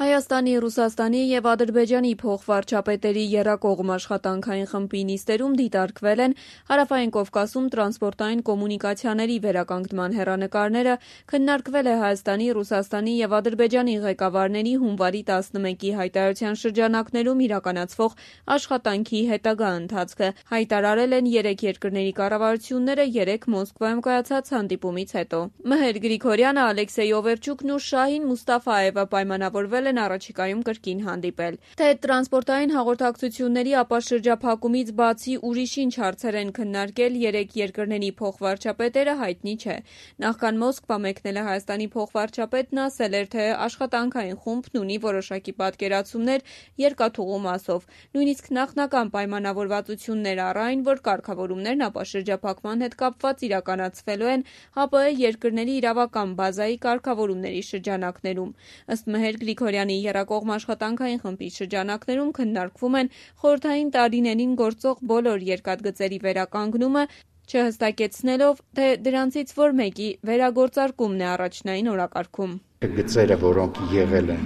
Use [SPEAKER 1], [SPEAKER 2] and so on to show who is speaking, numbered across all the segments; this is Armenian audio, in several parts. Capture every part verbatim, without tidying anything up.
[SPEAKER 1] Հայաստանի, Ռուսաստանի և Ադրբեջանի փոխվարչապետերի եռակողմ աշխատանքային խմբի նիստերում դիտարկվել են Հարավային Կովկասում տրանսպորտային կոմունիկացիաների վերականգնման հեռանկարները, քննարկվել է Հայաստանի, Ռուսաստանի և Ադրբեջանի ղեկավարների հունվարի տասնմեկի հայտարարության շրջանակներում իրականացվող աշխատանքի հետագա ընթացքը, հայտարարել են երեք երկրների կառավարությունները երեկ Մոսկվայում կայացած հանդիպումից հետո։ Մհեր Գրիգորյանը, Ալեքսեյ Օվերչուկն ու Շահին Մուստաֆաևը պայմանավորվել են առաջիկայում կրկին հանդիպել։ Թե տրանսպորտային հաղորդակցությունների ապա շրջափակումից բացի ուրիշ ինչ հարցեր են քննարկել երեք երկրների փոխվարչապետերը, հայտնի չէ։ Նախքան Մոսկվա մեկնել է Հայաստանի փոխվարչապետն ասել էր, թե աշխատանքային խումբն ունի որոշակի պատկերացումներ երկաթուղու մասով։ Նույնիսկ նախնական պայմանավորվածություններ առ այն, որ կարգավորումներն ապա շրջափակման հետ կապված իրականացվելու են ՀԱՊԸ երկրների իրավական բազայի կարգավորումների շրջանակներում։ Ըստ Մհեր Գրիգորյանի եռակողմ աշխատանքային խմբի շրջանակներում քննարկվում են խորհրդային տարիներին գործող բոլոր երկաթգծերի վերականգնումը, չհստակեցնելով, թե դրանցից որ մեկի վերագործարկումն է առաջնային օրակարգում։
[SPEAKER 2] Գծերը, որոնք եղել են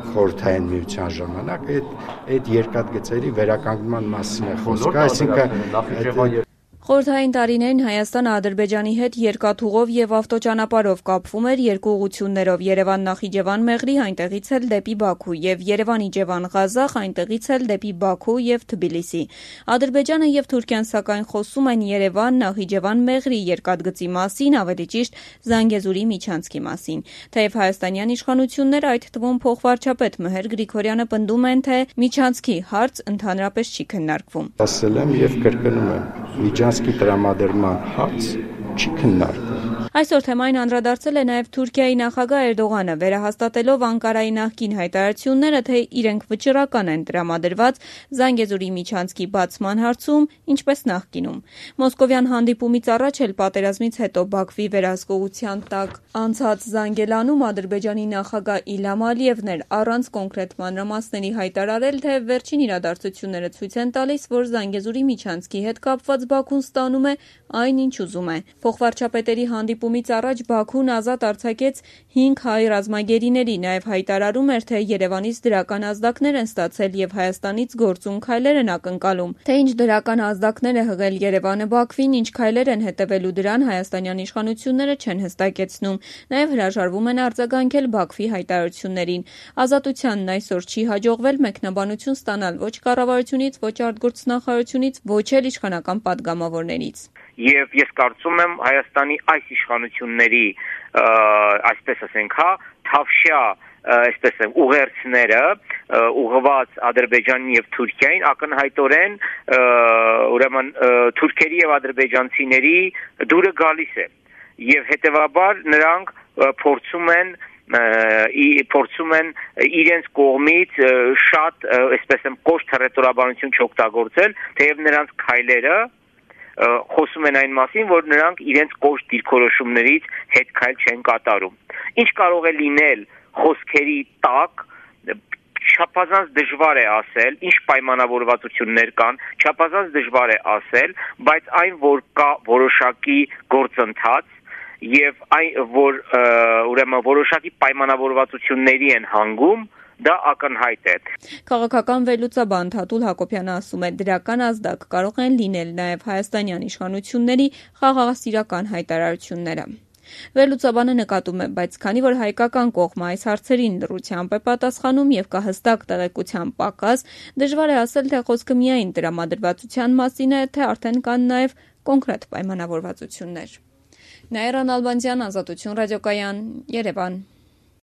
[SPEAKER 2] խորհրդային միության ժամանակ, այդ այդ երկաթգծերի վերականգնման մասին է խոսքը, այսինքն
[SPEAKER 1] Խորհրդային տարիներին Հայաստանը Ադրբեջանի հետ երկաթուղով և ավտոճանապարհով կապվում էր երկու ուղղություններով՝ Երևան-Նախիջևան Մեղրի, այնտեղից էլ դեպի Բաքու, և Երևան-Իջևան-Ղազախ, այնտեղից էլ դեպի Բաքու և Թբիլիսի։ Ադրբեջանը և Թուրքիան սակայն խոսում են Երևան-Նախիջևան Մեղրի երկաթգծի մասին, ավելի ճիշտ Զանգեզուրի միջանցքի մասին։ Թեև հայաստանյան իշխանությունները, այդ թվում փոխվարչապետ Մհեր Գրիգորյանը պնդում են, թե միջանցքի հարց ընդհանրապես չի քննարկվում։
[SPEAKER 2] Ասել եմ և կրկնում եմ, միջանցքի տրամադրման հարց չի քննարկվում։
[SPEAKER 1] Այսօր թեմային անդրադարձել է նաև Թուրքիայի նախագահ Էրդողանը, վերահաստատելով Անկարայի նախկին հայտարարությունները, թե իրենք վճռական են տրամադրված Զանգեզուրի միջանցքի բացման հարցում, ինչպես նախկինում։ Մոսկովյան հանդիպումից առաջ էլ պատերազմից հետո Բաքվի վերահսկողության տակ անցած Զանգելանում Ադրբեջանի նախագահ Իլհամ Ալիևն էր առանց կոնկրետ մանրամասների հայտարարել, թե վերջին իրադարձությունները ցույց են տալիս, որ Զանգեզուրի միջանցքի հետ կապված Բաքուն ստանում է այն, ինչ ուզում է։ Փոխվարչապետերի հանդիպումից առաջ Բաքուն ազատ արձակեց հինգ հայ ռազմագերիների, նաև հայտարարում էր, թե Երևանից դրական ազդակներ են ստացել և Հայաստանից գործուն քայլեր են ակնկալում։ Թե ինչ դրական ազդակներ է հղել Երևանը Բաքվին, ինչ քայլեր են հետևելու դրան, հայաստանյան իշխանությունները չեն հստակեցնում։ Նաև հրաժարվում են արձագանքել Բաքվի հայտարարություններին։ Ազատությանն այսօր չի հաջողվել մեկնաբանություն ստանալ ոչ կառավարությունից, ոչ արտգործնախարարությունից, ոչ էլ իշխանական падգամավորներից։
[SPEAKER 3] Եվ ես կարծում եմ Հայաստանի այս իշխանությունների, այսպես ասենք, հա, թավշյա, այսպես եմ, ուղերձները ուղղված Ադրբեջանին եւ Թուրքիային ակնհայտորեն ուրեմն թուրքերի եւ ադրբեջանցիների դուրը գալիս է եւ հետեւաբար նրանք փորձում են փորձում են իրենց կողմից շատ, այսպես եմ, կոշտ հռետորաբանություն չօգտագործել, թեև նրանց քայլերը խոսում են այն մասին, որ նրանք իրենց կոշտ դիրքորոշումներից հետ քայլ չեն կատարում։ Ինչ կարող է լինել խոսքերի տակ, չափազանց դժվար է ասել, ինչ պայմանավորվածություններ կան, չափազանց դժվար է ասել, բայց այն, որ կա որոշակի գործընթաց եւ այն, որ ուրեմն որոշակի պայմանավորվածությունների են հանգում, դա ակնհայտ է։
[SPEAKER 1] Քաղաքական վերլուծաբան Թաթուլ Հակոբյանը ասում է, դրական ազդակ կարող են լինել նաև հայաստանյան իշխանությունների խաղաղասիրական հայտարարությունները։ Վերլուծաբանը նկատում է, բայց քանի որ հայկական կողմը այս հարցերին լռությամբ է պատասխանում եւ կա հստակ տեղեկության պակաս, դժվար է ասել, թե խոսքը միայն տրամադրվածության մասին է, թե արդեն կան նաև կոնկրետ պայմանավորվածություններ։ Նաիրա Նալբանդյան, Ազատություն ռադիոկայան, Երևան։